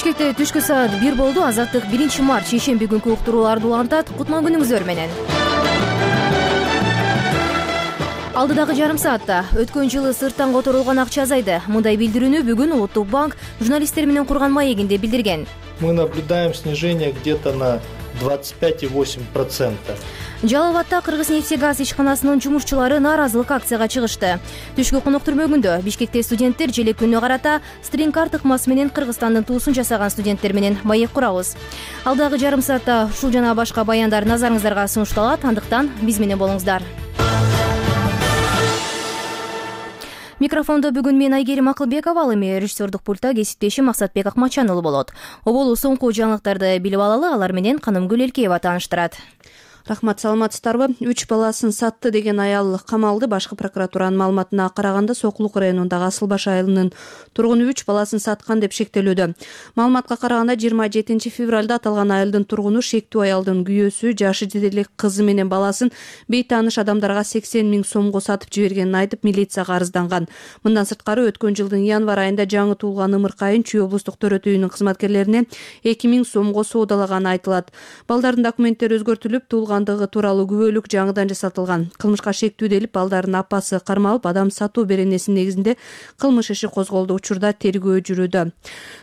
Бишкекте түшкү саат 1 болду. Азаттык 1-март шейшемби күнкү уктурууларды улантат. Кутман күнүңүздөр менен. Алдыдагы жарым саатта өткөн жылы сырттан которулган акча азайды. Мындай билдирүүнү бүгүн Улуттук банк журналисттер менен курган маегинде билдирген. Мы наблюдаем снижение где-то на 25,8%. Жалал Абадта Кыргыз-нефтегаз ишканасынын жумушчулары нааразылык акцияга чыгышты. Түшкү конок түрмөгүндө Бишкекте студенттер желек күнүнө карата стринг-карт ыкмасы менен Кыргызстандын туусун жасаган студенттер менен маек курабыз. Алдагы жарым саатта ушул жана башка баяндар назарыңыздарга сунушталат. Андыктан биз менен болуңуздар. Микрофондо бүгүн мен Айгерим Акылбекова, ал эми режиссердук пультта кесиптешим Максатбек Акмачанұлы болот. Оболу соңку жаңылыктарды билип алалы, алар менен Канымгүл Элкеева тааныштырат. Рахмат, саламатсыздарбы? 3 баласын сатты деген аял камалды. Башкы прокуратуранын маалыматына караганда Сокулук районундагы Асылбаш айылынын тургуну 3 баласын саткан деп шектелүүдө. Маалыматка караганда 27 февралда аталган айылдын тургуну шектүү аялдын күйөөсү жашы жетелик кызы менен баласын бейтааныш адамдарга 80 000 сомго сатып жибергенин айтып, милицияга арызданган. Мындан сырткары өткөн жылдын январь айында жаңы туулган ымыркайын Чүй облустук төрөт үйүнүн кызматкерлерине 2000 сомго соодалаганы айтылат. Балдардын документтери өзгөртүлүп, туулгандыгы тууралуу күбөлүк жаңыдан жасатылган. Кылмышка шектүү делип, балдардын апасы кармалып, адам сатуу беренесинин негизинде кылмыш иши козголду. Учурда тергөө жүрүүдө.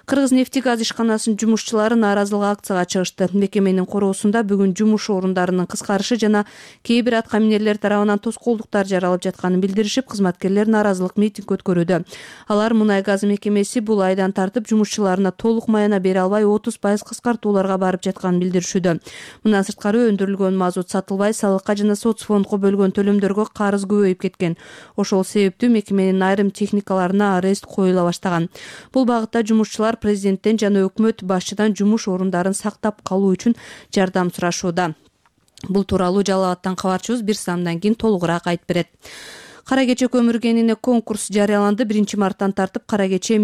Кыргыз-нефтегаз ишканасынын жумушчулары нааразылык акцияга чыгышты. Мекеменин короосунда бүгүн жумуш орундарынын кыскарышы жана кээ бир атка минерлер тарабынан тоскоолдуктар жаралып жатканын билдиришип, кызматкерлер нааразылык митинг өткөрүүдө. Алар Мунай газ мекемеси бул айдан тартып жумушчуларына толук маяна бере албай 30% кыскартууларга барып жатканын билдиришүүдө. Мындан сырткары өндүрүлгөн мазут сатылбай, салыкка жана соцфондго бөлгөн төлөмдөргө карыз көбөйүп кеткен. Ошол себептүү мекеменин айрым техникаларына арест коюла баштаган. Бул багытта жумушчулар президенттен жана өкмөт башчыдан жумуш орундарын сактап калуу үчүн жардам сурашууда. Бул тууралуу Жалал Абадтан кабарчыбыз бир саамдан кийин толугураак айтып берет. Кара кече көмүркенине конкурс жарыяланды. 1-марттан тартып кара кече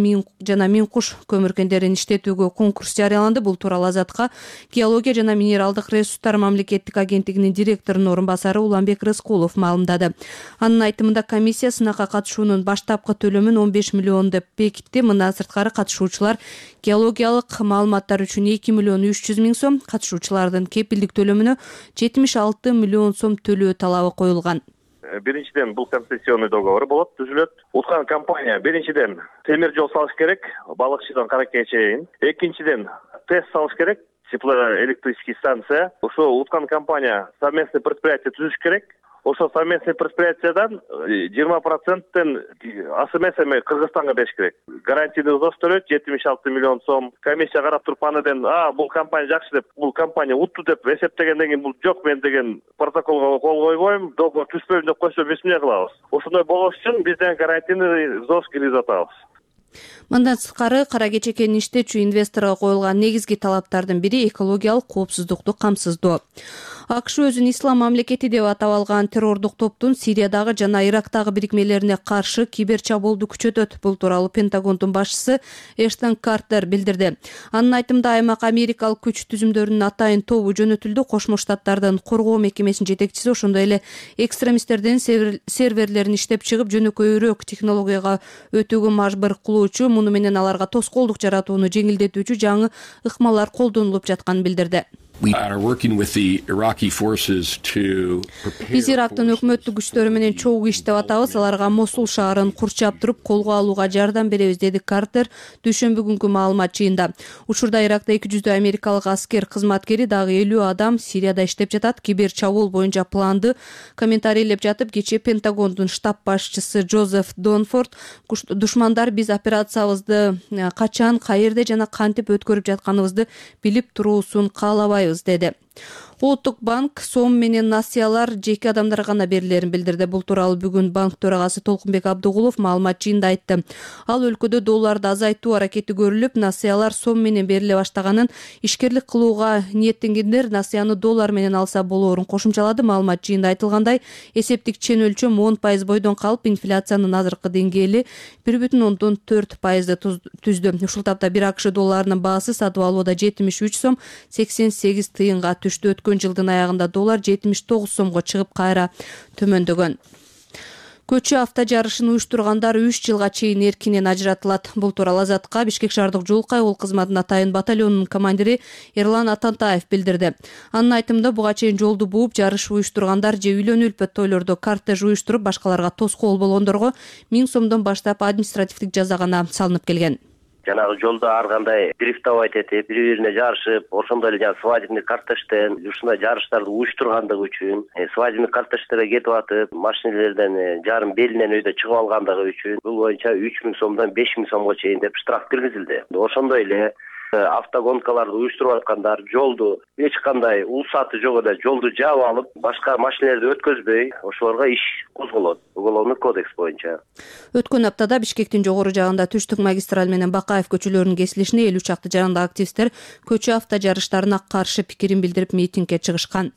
жана миң куш көмүркендерин иштетүүгө конкурс жарыяланды. Бул тууралуу Азатка Геология жана минералдык ресурстар мамлекеттик агенттигинин директорунун орун басары Уланбек Рыскулов маалымдады. Анын айтымында комиссия сынакка катышуунун баштапкы төлөмүн 15 миллион деп бекитти. Мындан сырткары катышуучулар геологиялык маалыматтар үчүн 2 миллион 300 000 сом, катышуучулардын кепилдик төлөмүнө 76 миллион сом төлөө талабы коюлган. Биринчиден бул концессионный договор болот, түзүлөт. Уткан компания биринчиден темир жол салыш керек, балыкчыдан Каракече чейин. Экинчиден ТЭС салыш керек, теплоэлектрический станция. Ошо уткан компания совместный предприятие түзүш керек. Ошо совместный предприятиядан 20%-тен АСМС Кыргызстанга бериш керек. Гарантийный взнос төлөйт 76 миллион сом. Комиссия карап туруп андан бул компания жакшы деп, бул компания утту деп эсептегенден кийин бул жок мен деген протоколго кол койбойм, договор түзбөйм деп койсо биз эмне кылабыз? Ошондой болош үчүн бизден гарантийный взнос киргизип атабыз. Мындан сырткары кара кече кенин иштетүүчү инвесторго коюлган негизги талаптардын бири экологиялык коопсуздукту камсыздоо. АКШ өзүн ислам мамлекети деп атап алган террордук топтун Сириядагы жана Ирактагы бирикмелерине каршы кибер чабуулду күчөтөт. Бул тууралуу Пентагондун башчысы Эштон Картер билдирди. Анын айтымында аймак америкалык күч түзүмдөрүнүн атайын тобу жөнөтүлдү. Кошмо Штаттардын коргоо мекемесинин жетекчиси, ошондой эле экстремисттердин серверлерин иштеп чыгып жөнөкөйрөөк технологияга өтүүгө мажбур кылуучу, муну менен аларга тоскоолдук жаратууну жеңилдетүүчү жаңы ыкмалар колдонулуп жатканын билдирди. Биз Ирактын өкмөттүк күчтөрү менен чогуу иштеп атабыз. Аларга Мосул шаарын курчап туруп колго алууга жардам беребиз, деди Картер дүйшөмбү күнкү маалымат жыйында. Учурда Иракта 200 америкалык аскер кызматкери, дагы 50 адам Сирияда иштеп жатат. Кибер чабуул боюнча планды комментарийлеп жатып, кечээ Пентагондун штаб башчысы Джозеф Донфорд душмандар биз операциябызды качан, каерде жана кантип өткөрүп жатканыбызды билип туруусун каалабайбыз, деди. Улуттук банк сом менен насыялар жеке адамдарга гана берилерин билдирди. Бул тууралуу бүгүн банк төрагасы Толкунбек Абдыгулов маалымат жыйында айтты. Ал өлкөдө долларды азайтуу аракети көрүлүп, насыялар сом менен бериле баштаганын, ишкерлик кылууга ниеттенгендер насыяны доллар менен алса болоорун кошумчалады. Маалымат жыйында айтылгандай, эсептик чен өлчөм 10% бойдон калып, инфляциянын азыркы деңгээли 1,4% түздү. Ушул тапта бир АКШ долларынын баасы сатып алууда 73 сом 88 тыйынга түштү. Өткөн жылдын аягында доллар 79 сомго чыгып кайра төмөндөгөн. Көчү авто жарышын уюштургандар 3 жылга чейин эркинен ажыратылат. Бул тууралуу Азатка Бишкек шаардык жол кайгыл кызматынын атайын батальонунун командири Эрлан Атантаев билдирди. Анын айтымында буга чейин жолду бууп, жарыш уюштургандар же үйлөнүү үлпөт тойлордо кортеж уюштуруп, башкаларга тоскоол болгондорго 1000 сомдон баштап административдик жаза гана салынып келген. Жанагы жолдо ар кандай дрифтовать этип, бири-бирине жарышып, ошондой эле жана свадебный кортежден ушундай жарыштарды уюштургандыгы үчүн, свадебный кортеждерге кетип атып, машинелерден жарым белинен өйдө чыгып алгандыгы үчүн бул боюнча 3000 сомдон 5000 сомго чейин деп штраф киргизилди. Ошондой эле автогонкаларды уюштуруп аткандар жолду эч кандай уруксаты жок эле жолду жаап алып, башка машинелерди өткөзбөй, ошолорго иш козголот. Уголовный кодекс боюнча. Өткөн аптада Бишкектин жогору жагында Түштүк магистраль менен Бакаев көчөлөрүнүн кесилишине 50 чакты жарандагы активисттер көчө авто жарыштарына каршы пикирин билдирип митингге чыгышкан.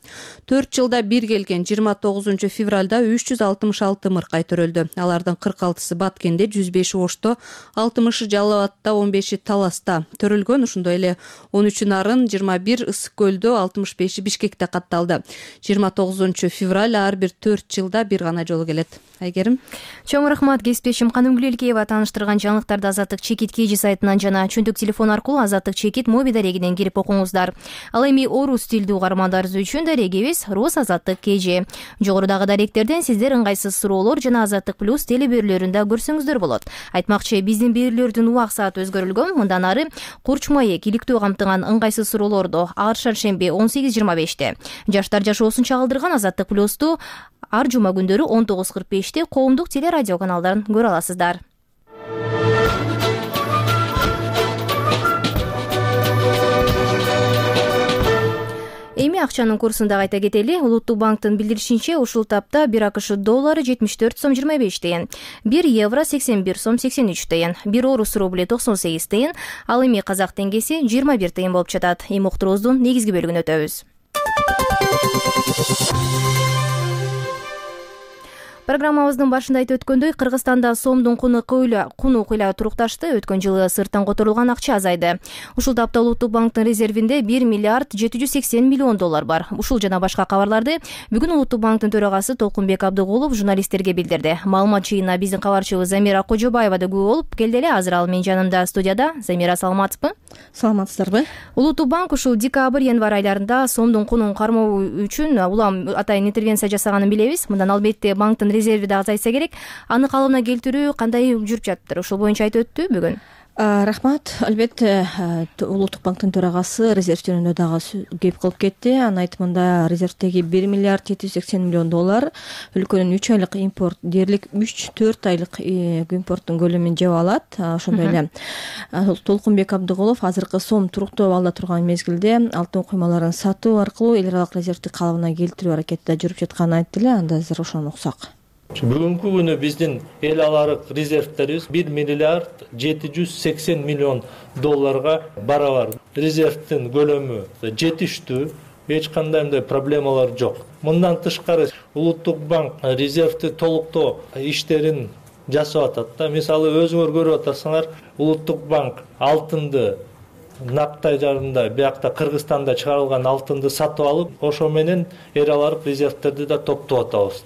4 жылда бир келген 29 февралда 366 мыркай төрөлдү. Алардын 46сы Баткенде, 105 Ошто, 60 Жалал Абадта, 15 Таласта төрөлгөн. Ошондой эле 13 Нарын, 21 Ысык көлдө, 65 Бишкекте катталды. 29 февраль ар бир 4 жылда бир гана жолу келет. Айгерим. Чоң рахмат кесиптешим Канымгүлелкеева тааныштырган жаңылыктарды Азаттык Чекит KG сайтынан жана чөндүк телефон аркылуу Азаттык Чекит моби дарегинен кирип окуңуздар. Ал эми орус тилдүү угармандарыбыз үчүн дарегибиз Рус Азаттык KG. Жогорудагы даректерден сиздер ыңгайсыз суроолор жана Азаттык Плюс телеберүүлөрүндө көрсөңүздөр болот. Айтмакчы, биздин берүүлөрдүн убак сааты өзгөрүлгөн. Мындан ары Курч маек иликтөө камтыган ыңгайсыз суроолорду ар шаршемби 18:25-те, жаштар жашоосун чагылдырган Азаттык Плюсту ар жума күндөрү 19:45-те коомдук телерадио каналдарын көрө аласыздар. Эми акчанын курсун да кайта кетели. Улуттук банктын билдиришинче, ушул тапта 1 АКШ доллары 74 сом 25 тыйын, 1 евро 81 сом 83 тыйын, 1 орус рубли 98 тыйын, ал эми казак теңгеси 21 тыйын болуп жатат. Эми уктуруубуздун негизги бөлүгүнө өтөбүз. Программабыздын башында айтып өткөндөй, Кыргызстанда сомдун куну кыйла турукташты. Өткөн жылы сырттан которулган акча азайды. Ушул тапта Улуттук банктын резервинде 1 миллиард 780 миллион доллар бар. Ушул жана башка кабарларды бүгүн Улуттук банктын төрагасы Толкунбек Абдыгулов журналисттерге билдирди. Маалымат жыйынына биздин кабарчыбыз Замира Кожобаева да күбө болуп келди эле. Азыр ал менин жанымда студияда. Замира, саламатсызбы? Саламатсыздарбы? Улуттук банк ушул декабрь-январь айларында сомдун кунун кармоо үчүн улам атайын интервенция жасаганын билебиз. Мындан албетте банктын резерви да азайса керек. Аны калыбына келтирүү кандай жүрүп жатыптыр? Ушул боюнча айтып өттү бүгүн. Рахмат. Албетте Улуттук банктын төрагасы резерв жөнүндө дагы кеп кылып кетти. Анын айтымында резервдеги 1 миллиард 780 миллион доллар өлкөнүн 3 айлык импорт дээрлик 3-4 айлык импорттун көлөмүн жеп алат. Ошондой эле Толкунбек Абдыгулов азыркы сом туруктуу абалда турган мезгилде алтын куймаларын сатуу аркылуу эл аралык резервди калыбына келтирүү аракети да жүрүп жатканын айтты эле. Анда азыр ошону уксак. Бүгүнкү күнү биздин эл аралык резервдерибиз 1 миллиард 780 миллион долларга барабар. Резервдин көлөмү жетиштүү, эч кандай мындай проблемалар жок. Мындан тышкары Улуттук банк резервди толуктоо иштерин жасап атат да. Мисалы өзүңөр көрүп атасыңар, Улуттук банк алтынды Наптай жарында биякта Кыргызстанда чыгарылган алтынды сатып алып, ошо менен эл аралык резервдерди да топтоп атабыз.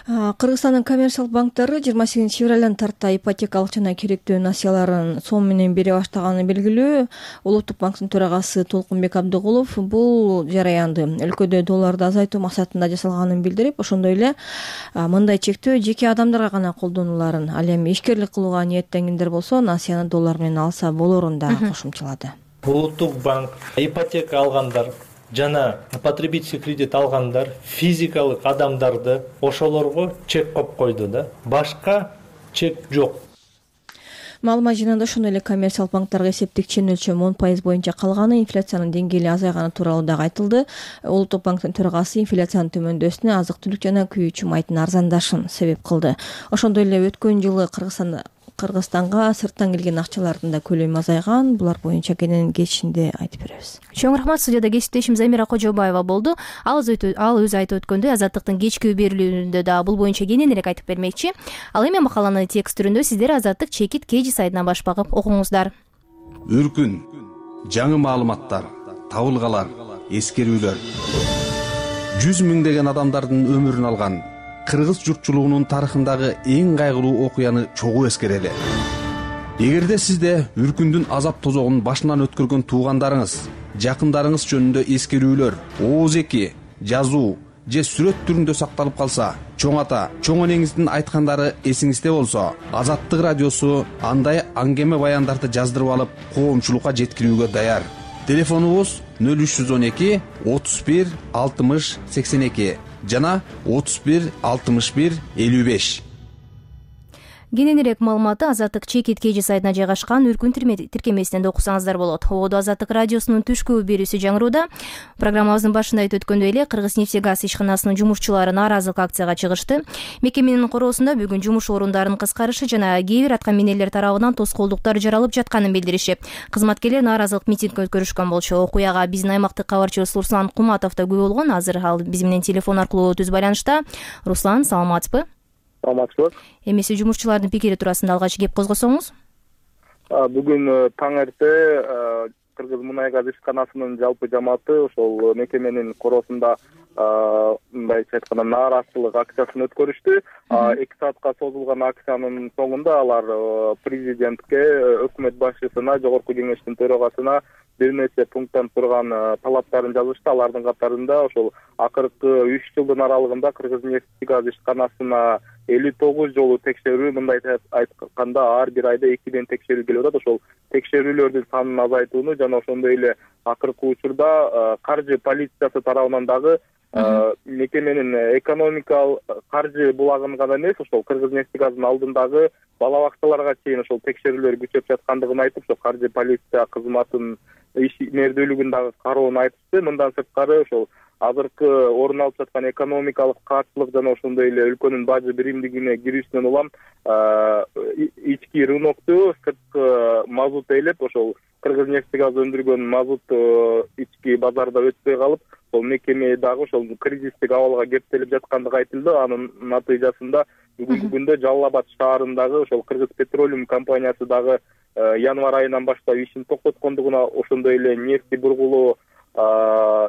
Кыргызстандын коммерциялык банктары 28 февралдан тарта ипотекалык жана керектүү насыяларын сом менен бере баштаганы белгилүү. Улуттук банктын төрагасы Толкунбек Абдыгулов бул жараянды өлкөдө долларды азайтуу максатында жасалганын билдирип, ошондой эле мындай чектөө жеке адамдарга гана колдонуларын, ал эми ишкерлик кылууга ниеттенгендер болсо насыяны доллар менен алса болорун да кошумчалады. Улуттук банк ипотека алгандар жана потребительский кредит алгандар, физикалык адамдарды ошолорго чек коюп койду да. Башка чек жок. Маалымат жыйынында ошондой эле коммерциялык банктарга эсептик чен өлчөм 10% боюнча калганы, инфляциянын деңгээли азайганы тууралуу дагы айтылды. Улуттук банктын төрагасы инфляциянын төмөндөсүнө азык-түлүк жана күйүүчү майдын арзандашын себеп кылды. Ошондой эле өткөн жылы Кыргызстанга сырттан келген акчалардын да көлөмү азайган. Булар боюнча кечинде айтып беребиз. Чоң рахмат. Студияда кесиптешим Замира Кожобаева болду. Ал өзү айтып өткөндөй, Азаттыктын кечки берүүлөрүндө да бул боюнча кененирээк айтып бермекчи. Ал эми макаланы текст түрүндө сиздер Азаттык Чекит KG сайтынан баш багып окуңуздар. Үркүн, жаңы маалыматтар, табылгалар, эскерүүлөр. 100 миңдеген адамдардын өмүрүн алган кыргыз журтчулугунун тарыхындагы эң кайгылуу окуяны чогуу эскерели. Эгерде сизде үркүндүн азап тозогун башынан өткөргөн туугандарыңыз, жакындарыңыз жөнүндө эскерүүлөр, ооз-эки, жазуу же сүрөт түрүндө сакталып калса, чоң ата, чоң энеңиздин айткандары эсиңизде болсо, Азаттык радиосу андай аңгеме баяндарды жаздырып алып, коомчулукка жеткирүүгө даяр. Телефонубуз 0312 31 60 82 жана 31 61 55. Кененирээк маалыматты Азаттык чекит KG сайтына жайгашкан Үркүн тиркемесинен да окусаңыздар болот. Ободо Азаттык радиосунун түшкү берүүсү жаңырууда. Программабыздын башында айтып өткөндөй эле Кыргыз-Нефтегаз ишканасынын жумушчулары нааразылык акцияга чыгышты. Мекеменин короосунда бүгүн жумуш орундарын кыскарышы жана кээ бир аткаминерлер тарабынан тоскоолдуктар жаралып жатканын билдиришип, кызматкерлер нааразылык митинг өткөрүшкөн болчу. Окуяга биздин аймактык кабарчыбыз Руслан Куматов да күбө болгон. Азыр ал биз менен телефон аркылуу түз байланышта. Руслан, саламатсызбы? Саламатсызбы. Эмесе жумушчулардын пикири туурасында алгач кеп козгосоңуз? Бүгүн таң эрте Кыргыз мунай газ ишканасынын жалпы жамааты ошол мекеменин короосунда мындайча айтканда нааразычылык акциясын өткөрүштү. 2 саатка созулган акциянын соңунда алар президентке, өкмөт башчысына, жогорку кеңештин төрагасына бир нече пункттан турган талаптарын жазышты. Алардын катарында ошол акыркы 3 жылдын аралыгында Кыргыз-Нефтегаз ишканасына 59 жолу текшерүү, мындайча айтканда ар бир айда 2ден текшерүү келип атат. Ошол текшерүүлөрдүн санын азайтууну жана ошондой эле акыркы учурда каржы полициясы тарабынан дагы мекеменин экономикалык каржы булагын гана эмес, ошол Кыргыз-Нефтегаздын алдындагы балабакчаларга чейин ошол текшерүүлөр күчөп жаткандыгын айтып, ошол каржы полиция кызматынын ишмердүүлүгүн дагы кароонун айтышты. Мындан сырткары ошол азыркы орун алып жаткан экономикалык каатчылык жана ошондой эле өлкөнүн бажы биримдигине кирүүсүнөн улам ички рынокту сырткы мазут ээлеп, ошол Кыргыз-Нефтегаз өндүргөн мазут ички базарда өтпөй калып, ошол мекеме дагы ошол кризистик абалга кептелип жаткандыгы айтылды. Анын натыйжасында бүгүнкү күндө Жалал Абад шаарындагы ошол Кыргыз Петролиум компаниясы дагы январь айынан баштап ишин токтоткондугуна, ошондой эле нефти бургулоо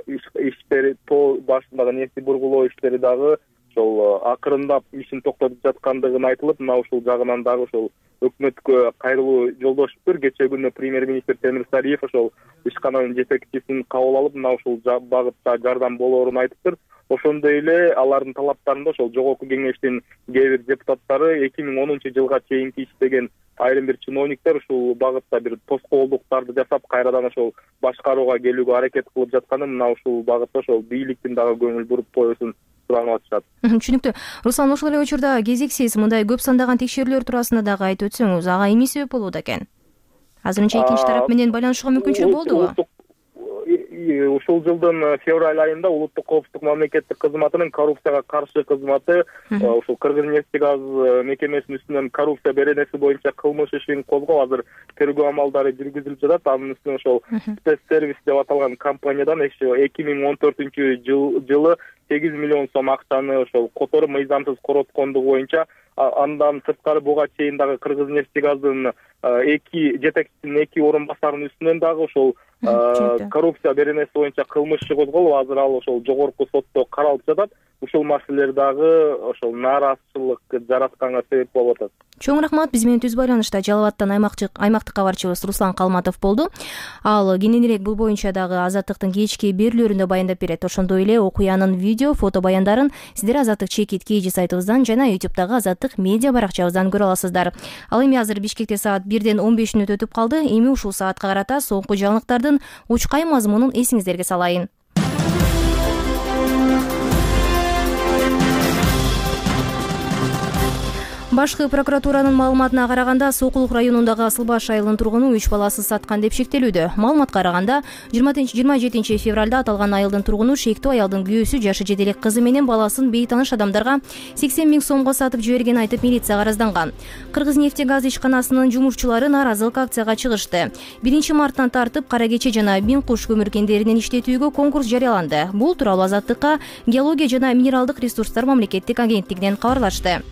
иштери, тоо башындагы нефти бургулоо иштери дагы ошол акырындап ишин токтотуп жаткандыгын айтылып, мына ушул жагынан дагы ошол өкмөткө кайрылуу жолдошуптур. Кечээ күнү премьер-министр Темир Сариев ошол ишкананын жетекчисин кабыл алып, мына ушул багытта жардам болоорун айтыптыр. Ошондой эле алардын талаптарында ошол жогорку кеңештин кээ бир депутаттары 2010-жылга чейинки иштеген айрым бир чиновниктер ушул багытта бир тоскоолдуктарды жасап, кайрадан ошол башкарууга келүүгө аракет кылып жатканын, мына ушул багытта ошол бийликтин дагы көңүл буруп коюусун суранып атышат. Түшүнүктүү. Руслан, ошол эле учурда кезексиз мындай көп сандаган текшерүүлөр туурасында дагы айтып өтсөңүз, ага эмне себеп болууда экен? Азырынча экинчи тарап менен байланышууга мүмкүнчүлүк болдубу? Ушул жылдын февраль айында Улуттук коопсуздук мамлекеттик кызматынын коррупцияга каршы кызматы ушул Кыргыз-Нефтегаз мекемесинин үстүнөн коррупция беренеси боюнча кылмыш ишин козгоп, азыр тергөө амалдары жүргүзүлүп жатат. Анын үстүнө ошол спецсервис деп аталган компаниядан 2014-жылы 8 миллион сом акчаны ошол которуп мыйзамсыз короткондугу боюнча, андан сырткары буга чейин дагы Кыргыз-Нефтегаздын жетекчисинин 2 орун басарынын үстүнөн дагы ошол коррупция беренеси боюнча кылмыш иши козголуп, азыр ал ошол жогорку сотто каралып жатат. Ушул маселелер дагы ошол нааразычылык жаратканга себеп болуп атат. Чоң рахмат. Биз менен түз байланышта Жалал Абадтан аймактык кабарчыбыз Руслан Калматов болду. Ал кененирээк бул боюнча дагы Азаттыктын кечки берүүлөрүндө баяндап берет. Ошондой эле окуянын видео, фото баяндарын сиздер Азаттык чекит KG сайтыбыздан жана YouTube'дагы Азаттык медиа баракчабыздан көрө аласыздар. Ал эми азыр Бишкекте саат 1ден 15 мүнөт өтүп калды. Эми ушул саатка карата соңку жаңылыктардын учкай мазмунун эсиңиздерге салайын. Башкы прокуратуранын маалыматына караганда, Сокулук районундагы Асылбаш айылынын тургуну 3 баласын саткан деп шектелүүдө. Маалыматка караганда, 27 февралда аталган айылдын тургуну шектүү аялдын күйөөсү жашы жетелик кызы менен баласын бейтаныш адамдарга 80 000 сомго сатып жибергенин айтып милицияга аразданган. Кыргыз-Нефтегаз ишканасынын жумушчулары нааразылык акцияга чыгышты. 1 марттан тартып Кара Кече жана Бин Куш көмүр кендеринин иштетүүгө конкурс жарыяланды. Бул тууралуу Азаттыкка Геология жана минералдык ресурстар мамлекеттик агенттигинен кабарлашты.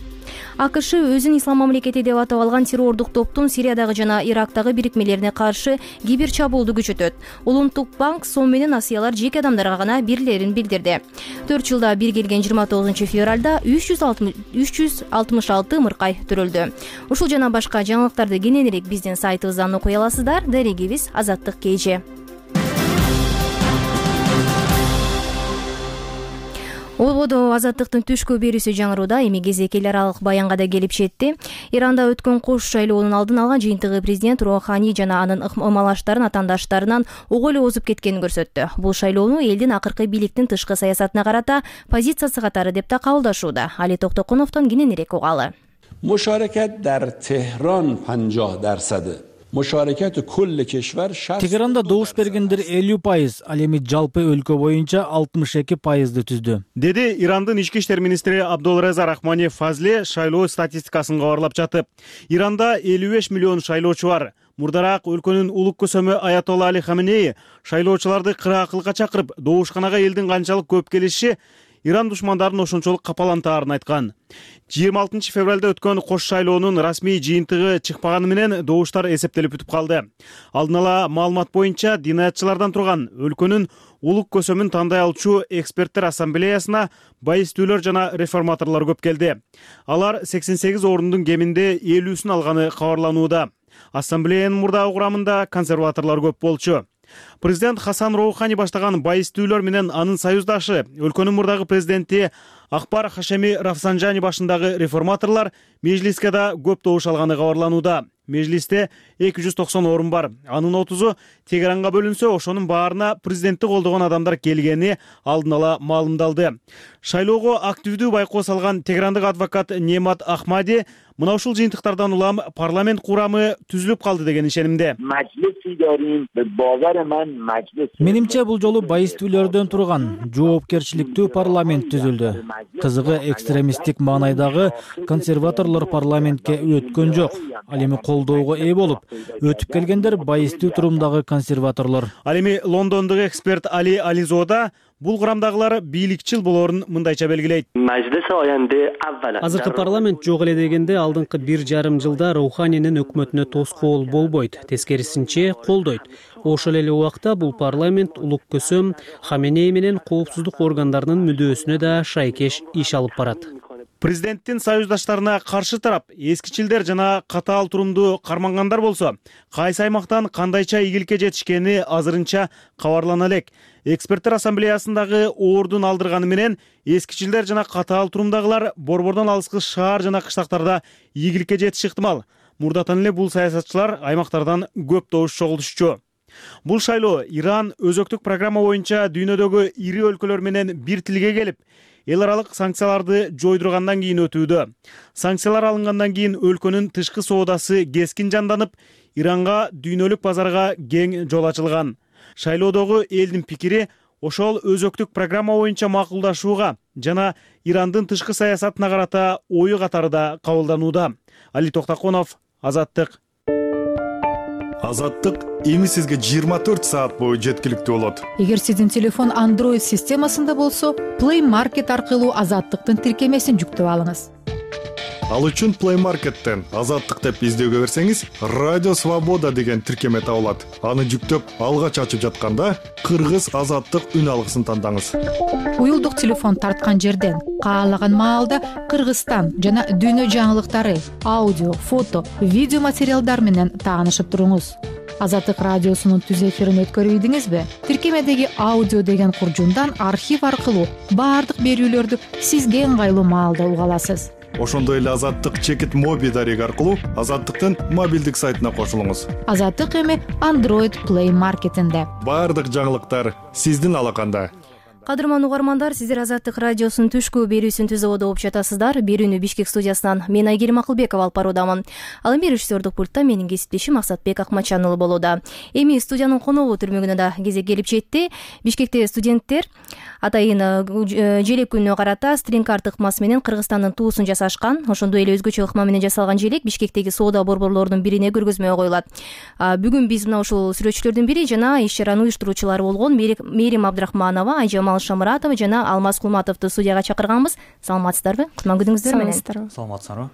АКШ өзүн ислам мамлекети деп атап алган террордук топтун Сириядагы жана Ирактагы бирикмелерине каршы кибер чабуулду күчөтөт. Улуттук банк сом менен акциялар жеке адамдарга гана берилерин билдирди. 4 жылда бир келген 29 февралда 366 мыркай төрөлдү. Ушул жана башка жаңылыктарды кененирээк биздин сайтыбыздан окуй аласыздар. Дарегибиз Азаттык KG. Ободо Азаттыктын түшкү берүүсү жаңырууда. Эми кезек эл аралык баянга да келип жетти. Иранда өткөн кош шайлоонун алдын алган жыйынтыгы президент Роухани жана анын ыкмалаштарын атаандаштарынан ого эле озуп кеткенин көрсөттү. Бул шайлоону элдин акыркы бийликтин тышкы саясатына карата позициясы катары деп да кабылдашууда. Али Токтокуновдон кененирээк угалы. Мушаракат дар Техран 50%. Тегеранда добуш бергендер 50%, ал эми жалпы өлкө боюнча 62%ды түздү, деди Ирандын ички иштер министри Абдулреза Рахмани Фазли шайлоо статистикасын кабарлап жатып. Иранда 55 миллион шайлоочу бар. Мурдараак өлкөнүн улук көсөмү Аятолла Али Хаменеи шайлоочуларды кыраакылыкка чакырып, добушканага элдин канчалык көп келиши Иран душмандарын ошончолук капалантаарын айткан. 26 февралда өткөн кош шайлоонун расмий жыйынтыгы чыкпаганы менен добуштар эсептелип бүтүп калды. Алдын ала маалымат боюнча динаятчылардан турган өлкөнүн улук көсөмүн тандай алчу эксперттер ассамблеясына байыстүүлөр жана реформаторлор көп келди. Алар 88 орундун кеминде 50-сүн алганы кабарланууда. Ассамблеянын мурдагы курамында консерваторлор көп болчу. Президент Хасан Роухани баштаган байыстүүлөр менен анын союздашы өлкөнүн мурдагы президенти Акбар Хашеми Рафсанжани башындагы реформаторлор межлиске да көп добуш алганы кабарланууда. Межлисте 290 орун бар. Анын 30-у Тегеранга бөлүнсө, ошонун баарына президентти колдогон адамдар келгени алдын ала маалымдалды. Шайлоого активдүү байкоо салган тегерандык адвокат Немат Ахмади мына ушул жыйынтыктардан улам парламент курамы түзүлүп калды деген ишенимде. Менимче бул жолу байыстүүлөрдөн турган жоопкерчиликтүү парламент түзүлдү. Кызыгы экстремисттик маанайдагы консерваторлор парламентке өткөн жок. Ал эми колдоого ээ болуп, өтүп келгендер байыстуу турумдагы консерваторлор. Ал эми Лондондогу эксперт Али Ализода бул курамдагылар бийликчил болоорун мындайча белгилейт. Азыркы парламент жок эле дегенде алдыңкы 1,5 жылда Роуханинин өкмөтүнө тоскоол болбойт, тескерисинче колдойт. Ошол эле убакта бул парламент улук көсөм Хаменеи менен коопсуздук органдарынын мүдөөсүнө да шайкеш иш алып барат. Президенттин союздаштарына каршы тарап эскичилдер жана катаал турумду кармангандар болсо, кайсы аймактан кандайча ийгиликке жетишкени азырынча кабарлана элек. Эксперттер ассамблеясындагы ордун алдырганы менен эскичилдер жана катаал турумдагылар борбордон алыскы шаар жана кыштактарда ийгиликке жетиши ыктымал. Мурдатан эле бул саясатчылар аймактардан көп добуш чогултушчу. Бул шайлоо Иран өзөктүк программа боюнча дүйнөдөгү ири өлкөлөр менен бир тилге келип, эл аралык санкцияларды жойдургандан кийин өтүүдө. Санкциялар алынгандан кийин өлкөнүн тышкы соодасы кескин жанданып, Иранга дүйнөлүк базарга кең жол ачылган. Шайлоодогу элдин пикири ошол өзөктүк программа боюнча макулдашууга жана Ирандын тышкы саясатына карата ою катары да кабылданууда. Али Токтокунов, Азаттык. Азаттык эми сизге 24 саат бою жеткиликтүү болот. Эгер сиздин телефон Android системасында болсо, Play Market аркылуу Азаттыктын тиркемесин жүктөп алыңыз. Ал үчүн Play Market'тен Азаттык деп издөөгө берсеңиз, Радио Свобода деген тиркеме табылат. Аны жүктөп, алгач ачып жатканда Кыргыз Азаттык үн алгысын тандаңыз. Уюлдук телефон тарткан жерден каалаган маалда Кыргызстан жана дүйнө жаңылыктары, аудио, фото, видео материалдар менен таанышып туруңуз. Азаттык радиосунун түз эфирин өткөрүбүдүңүзбү? Тиркемедеги аудио деген куржундан архив аркылуу баардык берүүлөрдү сизге ыңгайлуу маалда уга аласыз. Ошондой эле Азаттык чекит моби дареги аркылуу Азаттыктын мобилдик сайтына кошулуңуз. Азаттык эми Android Play Market'инде. Баардык жаңылыктар сиздин алаканда. Кадырман угармандар, сиздер Азаттык радиосунун түшкү берүүсүн түзүүгө угуп жатасыздар. Берүүнү Бишкек студиясынан мен Айгерим Акылбекова алып баруудамын. Ал эми режиссердук пультта менин кесиптешим Максатбек Акмачан уулу болууда. Эми студиянын коногу түрмөгүнө да кезек келип жетти. Бишкекте студенттер атайын желек күнүнө карата стринг-карт ыкмасы менен Кыргызстандын туусун жасашкан. Ошондой эле өзгөчө ыкма менен жасалган желек Бишкектеги соода борборлорунун бирине көргөзмөгө коюлат. Бүгүн биз мына ушул сүрөтчүлөрдүн бири жана иш чаранын уюштуруучулары болгон Мээрим Абдрахманова, Айжамал Айжамал Шамыратова жана Алмаз Кулматовду студияга чакырганбыз. Саламатсыздарбы? Кутман күнүңүздөр менен. Саламатсыздарбы?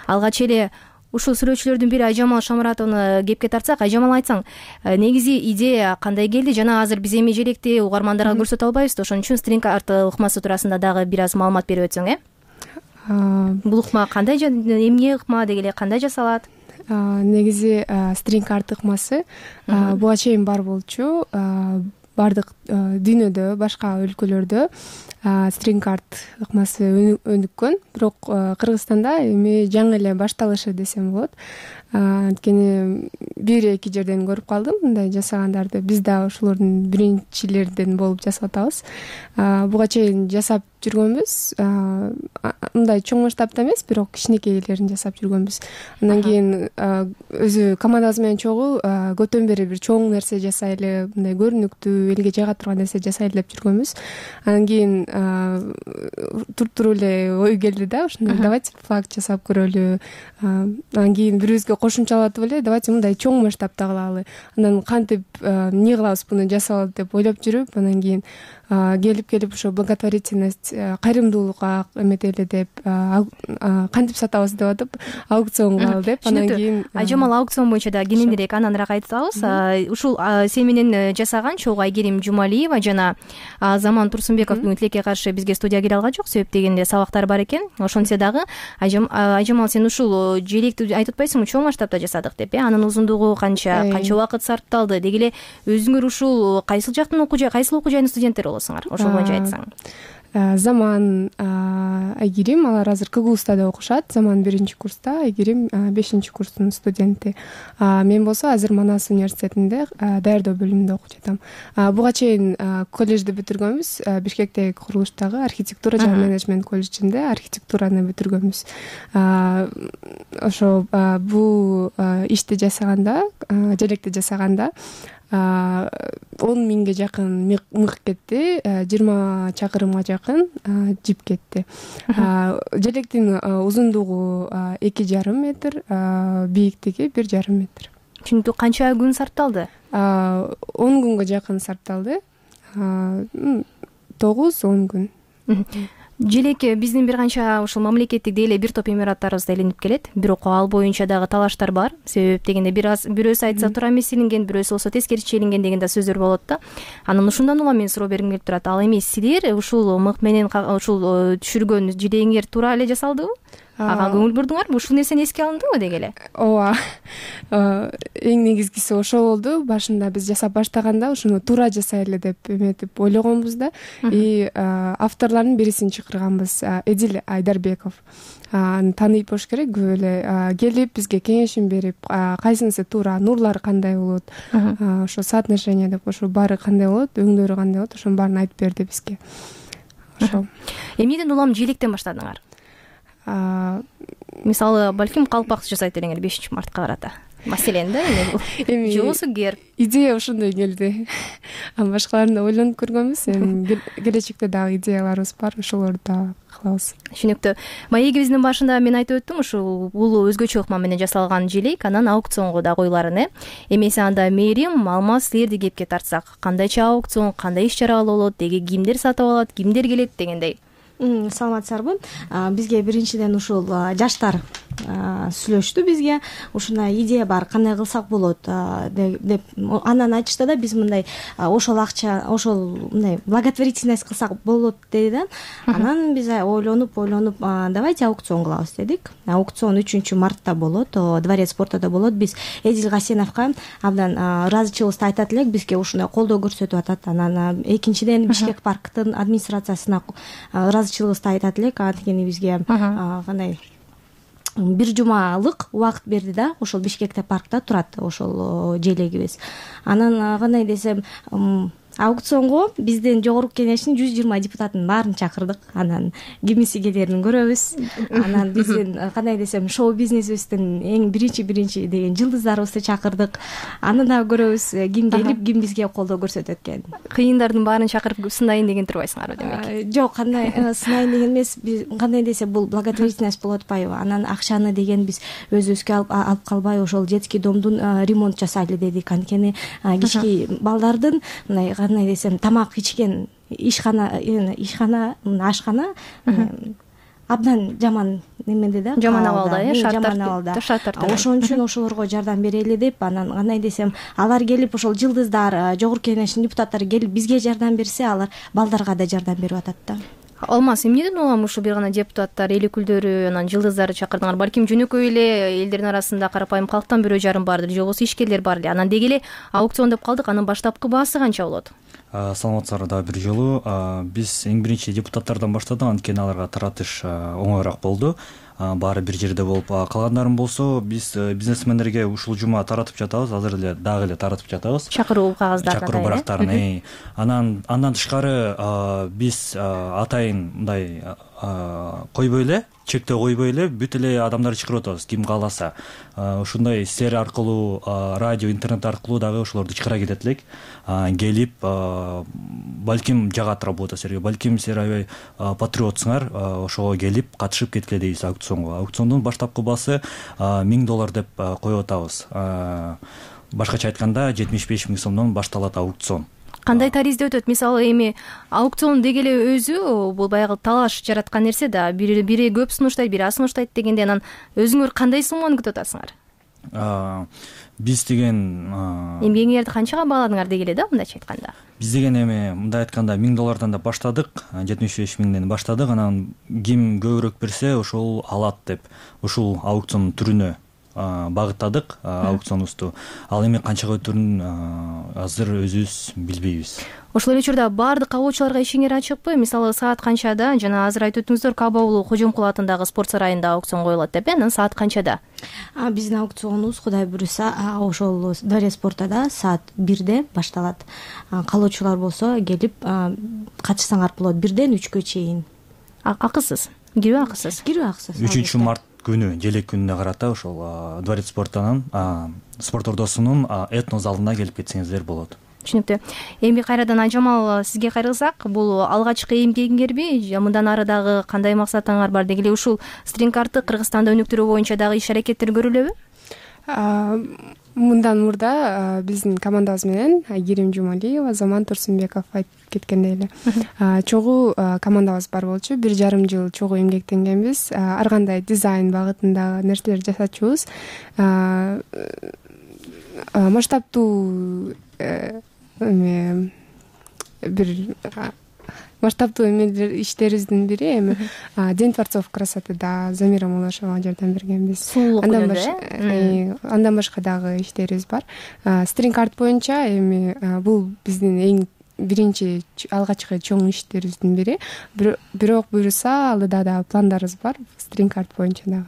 Алгач эле ушул сүрөтчүлөрдүн бири Айжамал Шамыратовну кепке тартсак, Айжамал айтсаң, негизи идея кандай келди? Жана азыр биз эми желекти угармандарга көрсөтө албайбыз да, ошон үчүн стринг-арт ыкмасы туурасында дагы бир аз маалымат берип өтсөң, Бул ыкма кандай, эмне ыкма деги эле кандай жасалат? Негизи стринг-арт ыкмасы буга чейин бар болчу. Бардык дүйнөдө, башка өлкөлөрдө стринг-арт ыкмасы өнүккөн, бирок Кыргызстанда эми жаңы эле башталышы десем болот. Анткени 1-2 жерден көрүп калдым мындай жасагандарды. Биз да ошолордун биринчилерден болуп жасап атабыз. Буга чейин жасап жүргөнбүз. Мындай чоң масштабта эмес, бирок кичинекейлерин жасап жүргөнбүз. Андан кийин өзү командабыз менен чогуу көптөн бери бир чоң нерсе жасайлы, мындай көрүнүктүү, элге жайга турган нерсе жасайлы деп жүргөнбүз. Андан кийин туруп эле ой келди да, ушундай давайте флаг жасап көрөлү. Андан кийин бирибизге кошумчалатып эле давайте мындай чоң масштабта кылалы. Анан кантип эмне кылабыз буну жасалат деп ойлоп жүрүп, анан кийин келип ошо благотворительность, кайрымдуулукка эметели деп кантип сатабыз деп атып, аукцион кылалы деп. Анан кийин Айжамал аукцион боюнча да кененирээк аныраак айтабыз. Ушул сен менен жасаган чогуу Айгерим Жумалиева жана Заман Турсунбековдун тилекке каршы бизге студияга келе алган жок, себеп дегенде сабактар бар экен. Ошентсе дагы Айжамал, сен ушул желекти айтып атпайсыңбы, чоң масштабта жасадык деп, анын узундугу канча убакыт сарпталды деги эле, өзүңөр ушул кайсыл жактын кайсыл окуу жайынын студенттери болосуңар, ошол боюнча айтсаң. Заман, Айгерим, алар азыр КГУста окушат. Заман 1-курста, Айгерим 5-курстун студенти. Мен болсо азыр Манас университетинде даярдоо бөлүмүндө окуп жатам. Буга чейин колледжди бүтүргөнбүз. Бишкектеги курулуштагы архитектура жана менеджмент колледжинде архитектураны бүтүргөнбүз. Ошо бул ишти жасаганда, желекти жасаганда 10 миңге жакын мык кетти, 20 чакырымга жакын жип кетти. Желектин узундугу 2,5 метр, бийиктиги 1,5 метр. Түшүнүктүү. Канча күн сарпталды? 10 күнгө жакын сарпталды. 9-10 күн. Желек биздин бир канча ушул мамлекеттик деле бир топ имараттарыбызда илинип келет. Бирок ал боюнча дагы талаштар бар. Себеп дегенде бирөөсү айтса туура эмес илинген, бирөөсү болсо тескерисинче илинген деген да сөздөр болот да. Анан ушундан улам мен суроо бергим келип турат. Ал эми силер ушул мык менен ушул түшүргөн желегиңер туура эле жасалдыбы? Ага көңүл бурдуңарбы? Ушул нерсени эске алындыбы деги эле? Ооба. Эң негизгиси ошол болду. Башында биз жасап баштаганда ушуну туура жасайлы деп эметип ойлогонбуз да. И авторлордун бирисин чакырганбыз, Эдил Айдарбеков. Аны тааныйт болуш керек, көп эле келип бизге кеңешин берип, кайсынысы туура, нурлар кандай болот, ошо соотношение деп, ошо баары кандай болот, өңдөрү кандай болот, ошонун баарын айтып берди бизге. Ошо. Эмнеден улам желектен баштадыңар? Мисалы, балким калпак жасайт элеңер 5-мартка карата. Маселен да, эми жобосу герб. Идея ошондой келди. Башкаларын да ойлонуп көргөнбүз. Эми келечекте дагы идеяларыбыз бар, ошолорду да кылабыз. Түшүнүктүү. Маегибиздин башында мен айтып өттүм, ушул бул өзгөчө ыкма менен жасалган желек, анан аукционго да коюларын. Эмесе анда Мээрим, Алмаз, силерди кепке тартсак, кандайча аукцион, кандай иш-чара болот, деги кимдер сатып алат, кимдер келет дегендей. Саламатсыздарбы? Бизге биринчиден ушул жаштар сүйлөштү бизге. Ушундай идея бар, кандай кылсак болот деп. Анан айтышты да, биз мындай ошол акча, ошол мындай благотворительность кылсак болот деди да. Анан биз ойлонуп, давайте аукцион кылабыз дедик. Аукцион 3-мартта болот, Дворец спортодо болот. Биз Эдил Гасеновго абдан ыраазычылыгыбызды айтат элек, бизге ушундай колдоо көрсөтүп атат. Анан экинчиден Бишкек парктын администрациясына ыраазычылыгыбызды айтат элек. Анткени бизге кандай бир жумалык убакыт берди да, ошол Бишкекте паркта турат ошол желегибиз. Анан кандай десем, аукционго биздин жогорку кеңештин 120 депутатын баарын чакырдык. Анан кимиси келерин көрөбүз. Анан биздин кандай десем, шоу бизнесибиздин эң биринчи деген жылдыздарыбызды чакырдык. Аны да көрөбүз, ким келип, ким бизге колдоо көрсөтөт экен. Кыйындардын баарын чакырып сынайын деген турбайсыңарбы демек? Жок, кандай сынайын деген эмес. Биз кандай десе бул благотворительность болуп атпайбы? Анан акчаны деген биз өзүбүзгө алып калбай, ошол детский домдун ремонт жасайлы дедик. Анткени кички балдардын мындай кандай десем, тамак ичкен ишкана ашкана абдан жаман немеде да, жаман абалда, жаман абалда. Ошон үчүн ошолорго жардам берели деп, анан кандай десем, алар келип ошол жылдыздар, жогорку кеңештин депутаттары келип бизге жардам берсе, алар балдарга да жардам берип атат да. Алмаз, эмнеден улам ушул бир гана депутаттар, эл өкүлдөрү, анан жылдыздарды чакырдыңар? Балким жөнөкөй эле элдердин арасында карапайым калктан бирөө жарым бардыр, же болбосо ишкерлер бар эле. Анан деги эле аукцион деп калдык, анын баштапкы баасы канча болот? Саламатсыздар дагы бир жолу. Биз эң биринчи депутаттардан баштадык, анткени аларга таратыш оңоюраак болду. Баары бир жерде болуп, калгандарын болсо биз бизнесмендерге ушул жума таратып жатабыз, азыр эле дагы эле таратып жатабыз. Чакыруу кагаздарын, чакыруу барактарын. Андан тышкары биз атайын мындай койбой эле, чектөө койбой эле бүт эле адамдарды чакырып атабыз, ким кааласа. Ушундай сер аркылуу, радио, интернет аркылуу дагы ошолорду чакыра кетет элек. Келип, балким жагат работа силерге, балким силер аябай патриотсуңар, ошого келип катышып кеткиле дейбиз аукционго. Аукциондун баштапкы баасы $1000 деп коюп атабыз. Башкача айтканда 75 000 сомдон башталат аукцион. Кандай таризде өтөт? Мисалы эми аукцион деги эле өзү бул баягы талаш жараткан нерсе да. Бири көп сунуштайт, бири аз сунуштайт дегенде, анан өзүңөр кандай сумманы күтүп атасыңар? Биз деген эмгегиңерди канчага бааладыңар деги эле да, мындайча айтканда? Биз деген эми мындай айтканда $1000 да баштадык, 75 000ден баштадык, анан ким көбүрөөк берсе ошол алат деп ушул аукцион түрүнө багыттадык аукционубузду. Ал эми канчага өтөрүн азыр өзүбүз билбейбиз. Ошол эле учурда баардык кабылуучуларга ишиңер ачыкпы? Мисалы саат канчада, жана азыр айтып өттүңүздөр, Каба уулу Кожомкул атындагы спорт сарайында аукцион коюлат деп, анан саат канчада? Биздин аукционубуз Кудай буюрса ошол Дворец спортада саат 1де башталат. Каалоочулар болсо келип катышсаңар болот 1ден 3кө чейин. Акысыз? Кирүү акысыз? Кирүү акысыз. 3 март күнү, желек күнүнө карата ошол Дворец спортунун спорт ордосунун этно залына келип кетсеңиздер болот. Түшүнүктүү. Эми кайрадан Айжамал, сизге кайрылсак, бул алгачкы эмгегиңерби? Мындан ары дагы кандай максатыңар бар? Деги эле ушул стринг-артты Кыргызстанда өнүктүрүү боюнча дагы иш-аракеттер көрүлөбү? Мындан мурда биздин командабыз менен Айгерим Жумалиева, Заман Турсунбеков айтып кеткендей эле чогуу командабыз бар болчу. 1,5 жыл чогуу эмгектенгенбиз. Ар кандай дизайн багытындагы нерселер жасачубуз. Масштабтуу иштерибиздин бири эми День творцов красоты да Замира Мулашевага жардам бергенбиз. Андан башка дагы иштерибиз бар. Стринг-арт боюнча эми бул биздин эң биринчи алгачкы чоң иштерибиздин бири. Бирок буюрса алда да пландарыбыз бар стринг-арт боюнча дагы.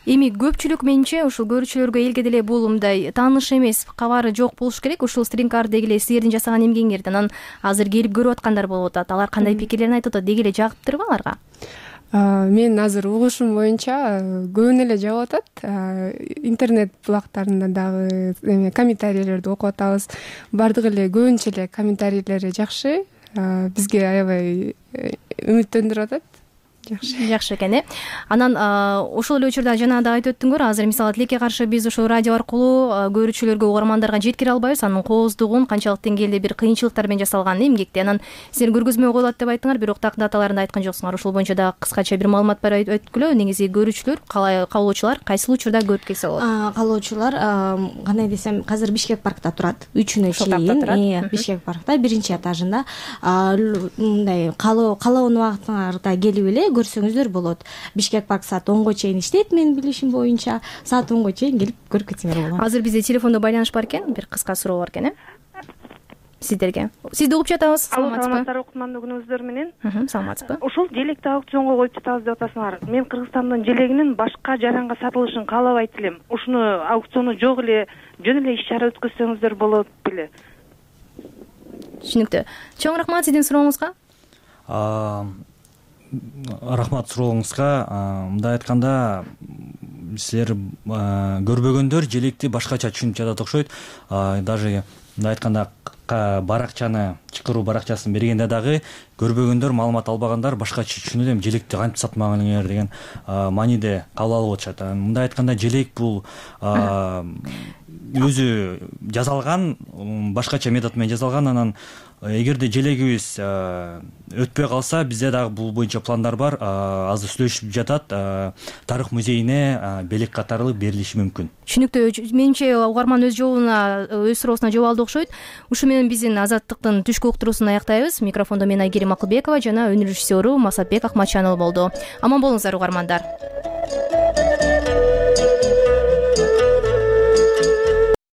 Эми көпчүлүк менче ушул көрүүчүлөргө элге деле бул мындай тааныш эмес, кабары жок болуш керек. Ушул стринг-арт деги эле силердин жасаган эмгегиңерди анан азыр келип көрүп аткандар болуп атат. Алар кандай пикирлерин айтып атат? Деги эле жагыптырбы аларга? Мен азыр угушум боюнча көбүнө эле жагып атат. Интернет булактарында дагы комментарийлерди окуп атабыз. Бардыгы эле көбүнчө эле комментарийлери жакшы. Бизге аябай үмүттөндүрүп атат. Жакшы экен, Анан ошол эле учурда жана да айтып өттүңөр, азыр мисалы тилекке каршы биз ошол радио аркылуу көрүүчүлөргө, угармандарга жеткире албайбыз. Анын кооздугун, канчалык деңгээлде бир кыйынчылыктар менен жасалганын эмгекте. Анан силер көргөзмө коюлат деп айттыңар, бирок так даталарын айткан жоксуңар. Ошол боюнча дагы кыскача бир маалымат бар өткүлө. Негизи көрүүчүлөр, кабылуучулар кайсыл учурда көрүп келсе болот? Кабылуучулар кандай десем, азыр Бишкек паркта турат. 3-күнө чейин Бишкек паркта 1-этажында. Мындай каалоон убактыңарда келип эле көрсөңүздөр болот. Бишкек парк саат 10го чейин иштейт, менин билишим боюнча. Саат 10го чейин келип көрүп кетсеңер болот. Азыр бизде телефондо байланыш бар экен, бир кыска суроо бар экен, сиздерге. Сизди угуп жатабыз. Саламатсызбы? Кутмандуу күнүңүздөр менен. Саламатсызбы? Ушул желекти аукционго коюп жатабыз деп атасыңар. Мен Кыргызстандын желегинин башка жаранга сатылышын каалабайт элем. Ушуну аукциону жок эле, жөн эле иш-чара өткөзсөңүздөр болот беле. Түшүнүктүү. Чоң рахмат сиздин сурооңузга. Рахмат сурооңузга. Мындай айтканда, силер көрбөгөндөр желекти башкача түшүнүп жатат окшойт. Даже мындай айтканда баракчаны, чакыруу баракчасын бергенде дагы көрбөгөндөр, маалымат албагандар башкача түшүнүп элем, желекти кантип сатмагаңар деген мааниде кабыл алып атышат. Мындай айтканда, желек бул өзү жасалган, башкача метод менен жасалган. Анан эгерде желегибиз өтпөй калса, бизде дагы бул боюнча пландар бар. Азыр сүйлөшүп жатат. Тарых музейине белек катары берилиши мүмкүн. Түшүнүктүү. Менимче угарман өз суроосуна жооп алды окшойт. Ушу менен биздин Азаттыктын түшкү уктуруусун аяктайбыз. Микрофондо мен Айгерим Акылбекова жана өнөр режиссеру Масатбек Акматжанов болду. Аман болуңуздар угармандар.